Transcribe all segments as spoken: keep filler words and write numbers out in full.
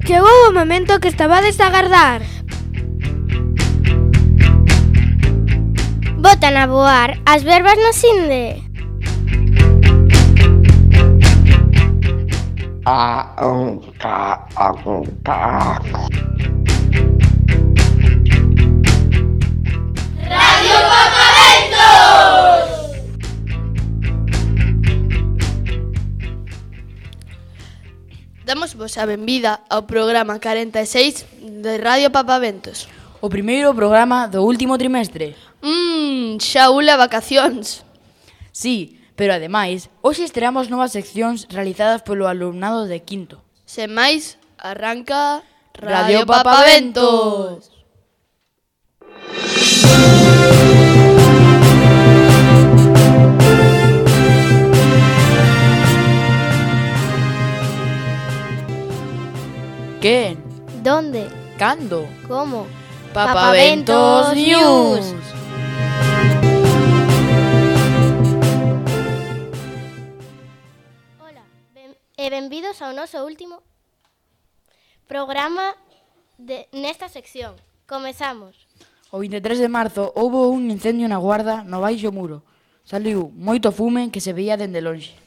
Chegou o momento que estabades a agardar. Botan a voar as verbas no sinde. A un ca a un ca. Radio Papaventos. Damos vos a benvida ao programa corenta e seis de Radio Papaventos. O primeiro programa do último trimestre. Mmm, xa ula vacacións. Sí, pero ademais, hoxe estreamos novas seccións realizadas polo alumnado de quinto. Sen máis, arranca Radio Papaventos. Quen? Donde? Cando? Como? Papaventos News. Ola, ben, e benvidos ao noso último programa de, nesta sección. Comezamos. O vinte e tres de marzo houbo un incendio na Guarda no Baixo Muro. Saliu moito fume que se veía dende lonxe.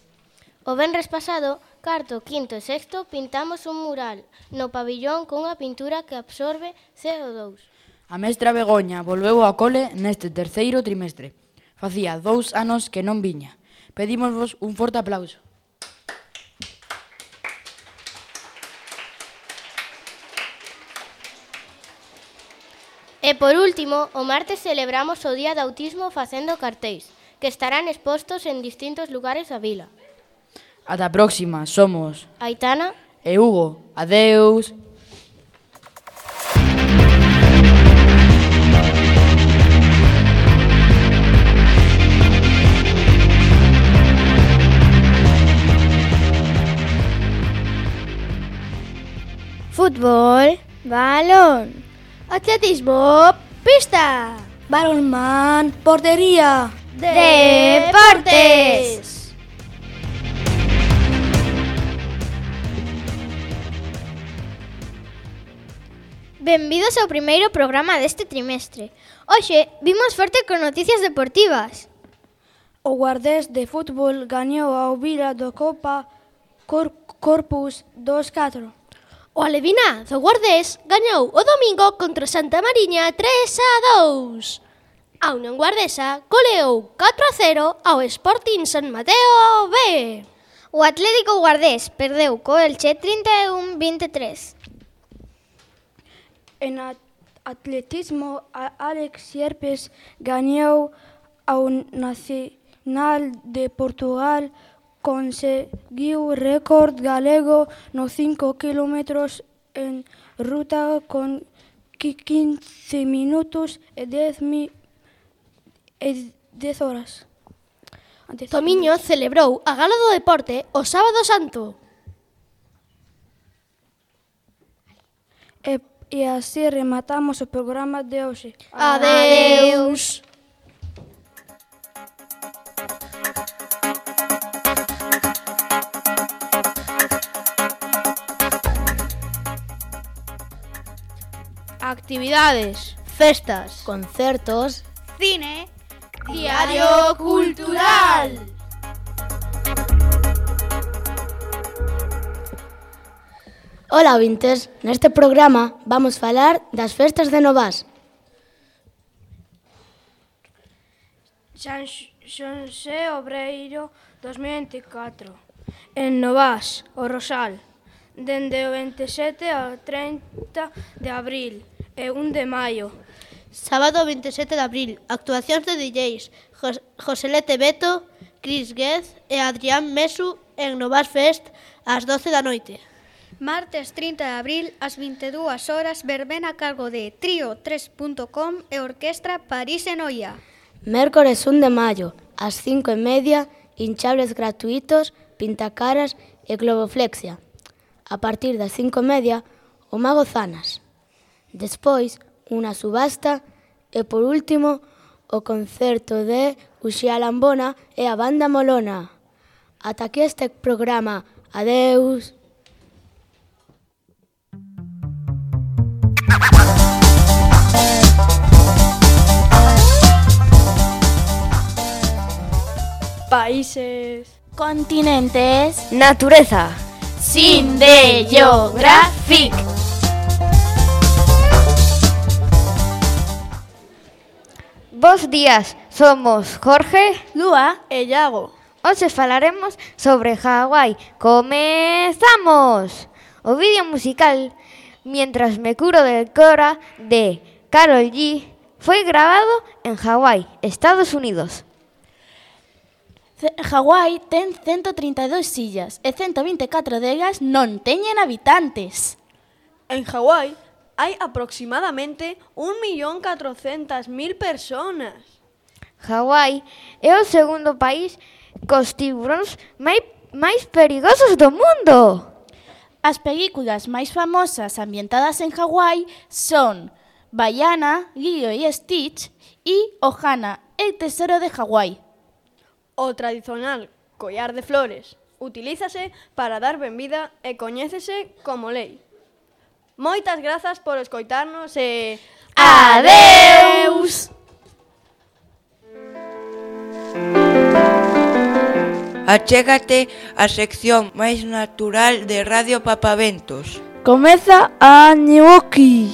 O venres pasado, cuarto, quinto e sexto pintamos un mural no pabillón cunha pintura que absorbe C O dous. A mestra Begoña volveu ao cole neste terceiro trimestre. Facía dous anos que non viña. Pedímosvos un forte aplauso. E por último, o martes celebramos o Día do Autismo facendo cartéis, que estarán expostos en distintos lugares da vila. Ata a próxima, somos Aitana e Hugo. Adeus. Fútbol, balón. Atletismo, pista. Balonmán, portería. Deportes. Benvidos ao primeiro programa deste trimestre. Hoxe vimos forte con noticias deportivas. O Guardés de fútbol gañou ao Vila do Copa Cor Corpus dos catro. O Aleviná do Guardés gañou o domingo contra Santa Mariña tres a dous. A Unión Guardesa goleou catro a cero ao Sporting San Mateo B. O Atlético Guardés perdeu co Elche trinta e un a vinte e tres. En atletismo, Alex Sierpes gañou ao Nacional de Portugal, conseguiu récord galego nos cinco kilómetros en ruta con quince minutos e dez horas. Tomiño celebrou a Gala do Deporte o sábado santo. E E así rematamos o programa de hoxe. Adeus. Actividades, festas, Concertos. Cine. Diario Cultural. Ola, ouvintes, neste programa vamos falar das festas de Novas. San Xosé Obreiro dos mil vinte e catro. En Novas, o Rosal, dende o vinte e sete ao trinta de abril e un de maio. Sábado vinte e sete de abril, actuacións de D Js Jos Joselete Beto, Cris Guez e Adrián Mesu en Novas Fest ás doce da noite. Martes trinta de abril, ás vinte e dúas horas, verbena a cargo de Trío tres punto com e Orquestra París e Noia. Mércores un de maio, ás cinco e media, hinchables gratuitos, pintacaras e globoflexia. A partir das cinco e media, o Mago Zanas. Despois, unha subasta e, por último, o concerto de Uxía Lambona e a Banda Molona. Ata aquí este programa. Adeus. países, continentes, natureza. Sin de Geographic. Bos días, somos Jorge, Lua e Iago. Hoxe falaremos sobre Hawái. ¡Comezamos! O vídeo musical Mientras me curo del cora de Karol G foi grabado en Hawái, Estados Unidos. Hawái ten ciento treinta e dous illas e ciento vinte e catro delas non teñen habitantes. En Hawái hai aproximadamente un millón catrocentas mil personas. Hawái é o segundo país cos tiburóns máis, máis perigosos do mundo. As películas máis famosas ambientadas en Hawái son Baiana, Lilo e Stitch e Ohana, el tesoro de Hawái. O tradicional collar de flores utilízase para dar benvida e coñécese como lei. Moitas grazas por escoitarnos e... Adeus! Achégate á sección máis natural de Radio Papaventos. Comeza a Ñuoki.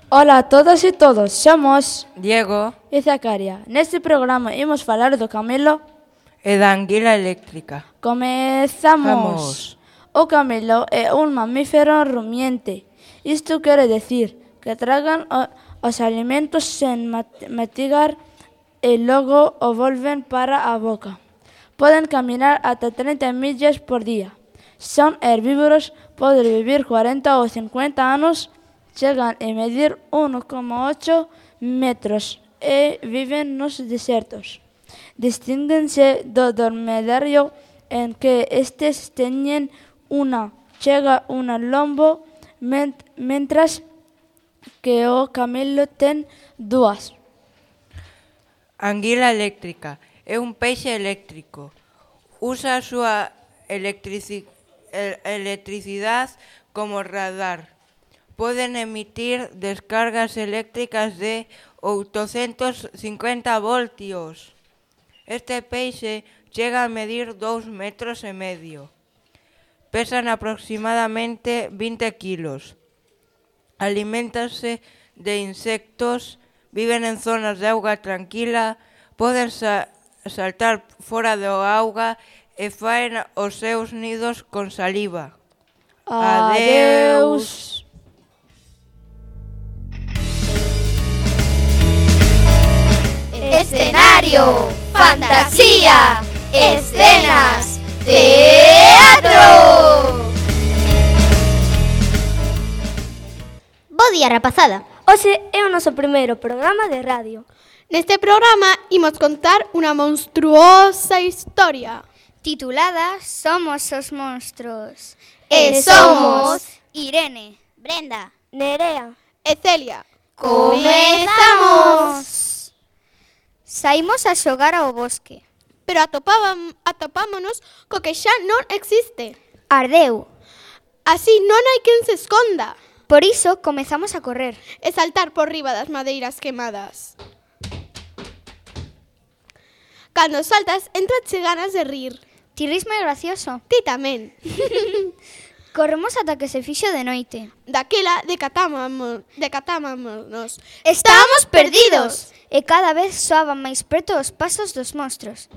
Ola a todas e todos, somos Diego e Zacaria. Neste programa imos falar do camelo e da anguila eléctrica. Comezamos. Vamos. O camelo é un mamífero rumiente. Isto quere decir que tragan o, os alimentos sen matigar e logo o volven para a boca. Poden caminar ata trinta millas por día. Son herbívoros, poden vivir cuarenta ou cincuenta anos, chegan a medir un coma ocho metros e viven nos desertos. Distínguense do dormedario en que estes teñen unha chega unha lombo, ment mentras que o camelo ten dúas. Anguila eléctrica é un peixe eléctrico. Usa a súa electrici electricidade como radar. Poden emitir descargas eléctricas de oitocentos cincuenta voltios. Este peixe chega a medir dous metros e medio. Pesan aproximadamente vinte kilos. Aliméntanse de insectos, viven en zonas de auga tranquila, poden sa saltar fora do auga e faen os seus nidos con saliva. Adeus. Escenario, fantasía, escenas, teatro. Bo día, rapazada. Hoxe é o noso primeiro programa de radio. Neste programa imos contar unha monstruosa historia titulada Somos os monstruos. E somos Irene, Brenda, Nerea e Celia. Comezamos! Saímos a xogar ao bosque, pero atopábam, atopámonos co que xa non existe. Ardeu. Así non hai quen se esconda. Por iso comezamos a correr e saltar por riba das madeiras quemadas. Cando saltas, entrache ganas de rir. Ti ris moi gracioso. Ti tamén. Corremos ata que se fixo de noite. Daquela decatámonos, decatámonos. Estábamos perdidos. E cada vez soaban máis preto os pasos dos monstros.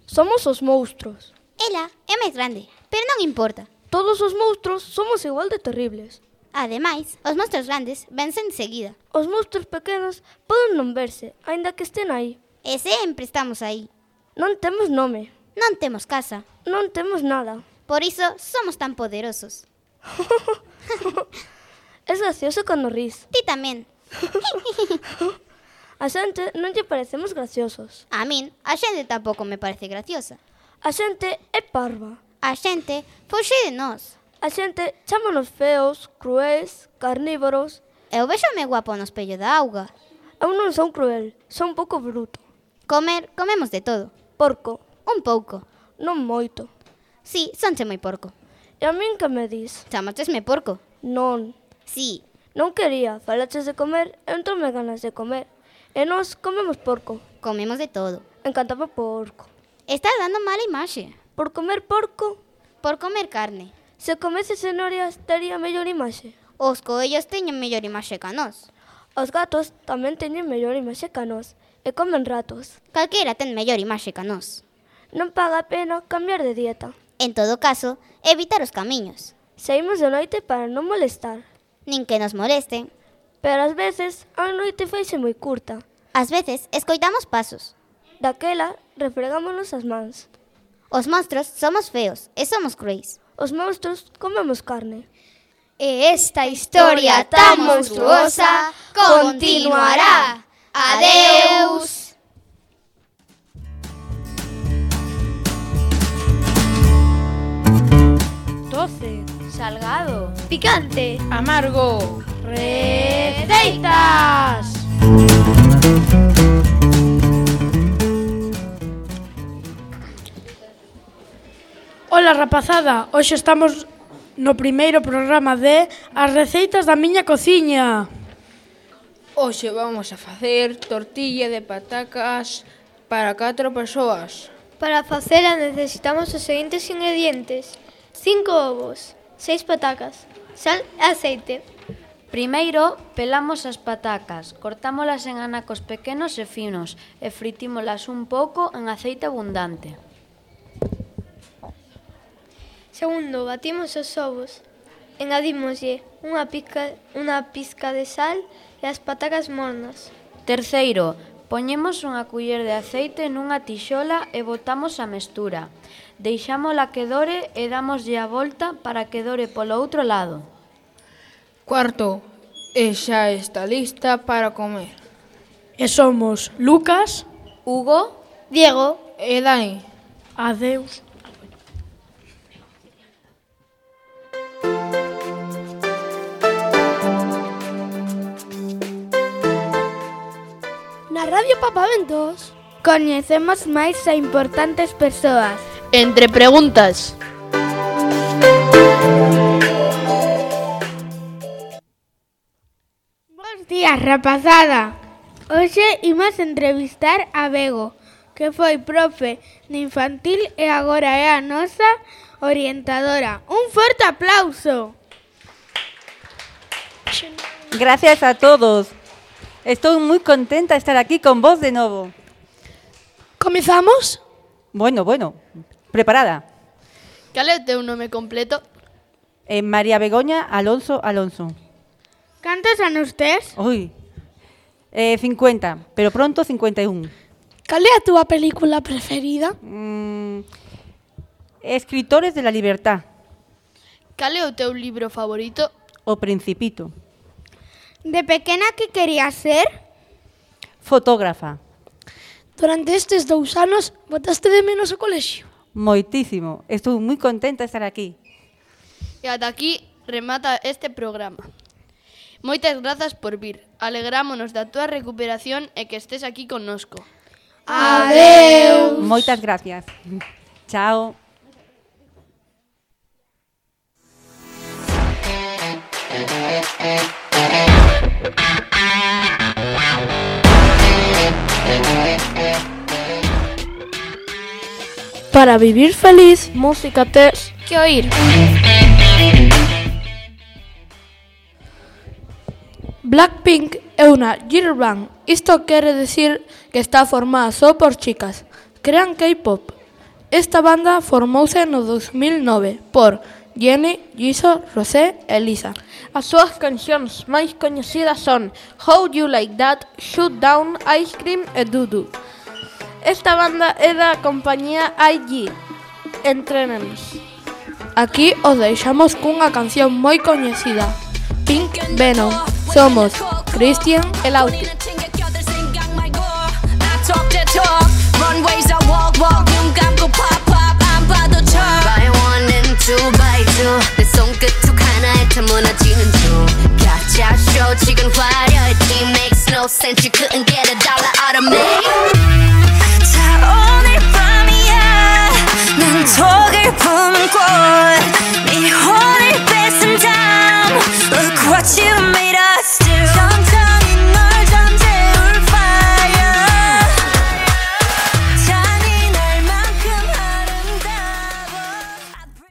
Somos os monstros. Ela é máis grande, pero non importa. Todos os monstros somos igual de terribles. Ademais, os monstros grandes vense enseguida. Os monstros pequenos poden non verse, aínda que estén aí. E sempre estamos aí. Non temos nome. Non temos casa. Non temos nada. Por iso somos tan poderosos. Es gracioso cando ris. Ti tamén. A xente non lle parecemos graciosos. A min, a xente tampouco me parece graciosa. A xente é parva. A xente foxe de nós. A xente chámanos feos, cruéis, carnívoros. Eu vexome guapo no espello da auga. Eu non son cruel, son un pouco bruto. Comer, comemos de todo. Porco. Un pouco. Non moito. Sí, sonche moi porco. E a min que me dis? Chamatesme porco. Non. Sí. Non quería, falaches de comer, entoume ganas de comer. E nós comemos porco. Comemos de todo. Encantaba porco. Estás dando mala imaxe. Por comer porco? Por comer carne. Se comese cenorias, tería mellor imaxe. Os coellos teñen mellor imaxe que nós. Os gatos tamén teñen mellor imaxe que nós. E comen ratos. Calquera ten mellor imaxe que nós. Non paga a pena cambiar de dieta. En todo caso, evitar os camiños. Saímos de noite para non molestar. Nin que nos molesten. Pero ás veces a noite faise moi curta. Ás veces escoitamos pasos. Daquela refregámonos as mans. Os monstros somos feos e somos cruéis. Os monstros comemos carne. E esta historia tan monstruosa continuará. Adeus! Doce. Salgado. Picante. Amargo. Receitas. Ola, rapazada. Hoxe estamos no primeiro programa de As receitas da miña cociña. Hoxe vamos a facer tortilla de patacas para catro persoas. Para facela necesitamos os seguintes ingredientes: cinco ovos, seis patacas, sal e aceite. Primeiro, pelamos as patacas, cortámolas en anacos pequenos e finos e fritímolas un pouco en aceite abundante. Segundo, batimos os ovos. Engadímoslle unha pizca, unha pizca de sal e as patacas mornas. Terceiro, poñemos unha culler de aceite nunha tixola e botamos a mestura. Deixámola que dore e dámoslle a volta para que dore polo outro lado. Cuarto, e xa está lista para comer. E somos Lucas, Hugo, Diego e Dani. Adeus. Na Radio Papaventos coñecemos máis a importantes persoas. Entre preguntas. Bos días, rapazada. Hoxe imos entrevistar a Bego, que foi profe de infantil e agora é a nosa orientadora. Un forte aplauso. Gracias a todos. Estou moi contenta de estar aquí con vos de novo. Comezamos? Bueno, bueno, preparada. Cal é o teu nome completo? Eh, María Begoña Alonso Alonso. Cantos anos tes? Ui, eh, cincuenta, pero pronto cincuenta e un. Cal é a túa película preferida? Mm, Escritores de la Libertad. Cal é o teu libro favorito? O Principito. De pequena que querías ser? Fotógrafa. Durante estes dous anos, botaste de menos o colexio? Moitísimo. Estou moi contenta de estar aquí. E ata aquí remata este programa. Moitas grazas por vir. Alegrámonos da túa recuperación e que estés aquí connosco. Adeus. Moitas gracias. Chao. Para vivir feliz, música tes que oír. Blackpink é unha girl band. Isto quere decir que está formada só por chicas. Crean K-pop. Esta banda formouse no dos mil nove por Jennie, Jisoo, Rosé e Lisa. As súas cancións máis coñecidas son How You Like That, Shoot Down, Ice Cream e Doo-Doo. Esta banda é da compañía I G. Entrénenos. Aquí os deixamos cunha canción moi coñecida, Pink Venom. Somos Cristian e Lauti. 내 손끝 하나에 다 무너지는 중 가짜 쇼 지금 화려해 It makes no sense You couldn't get a dollar out of me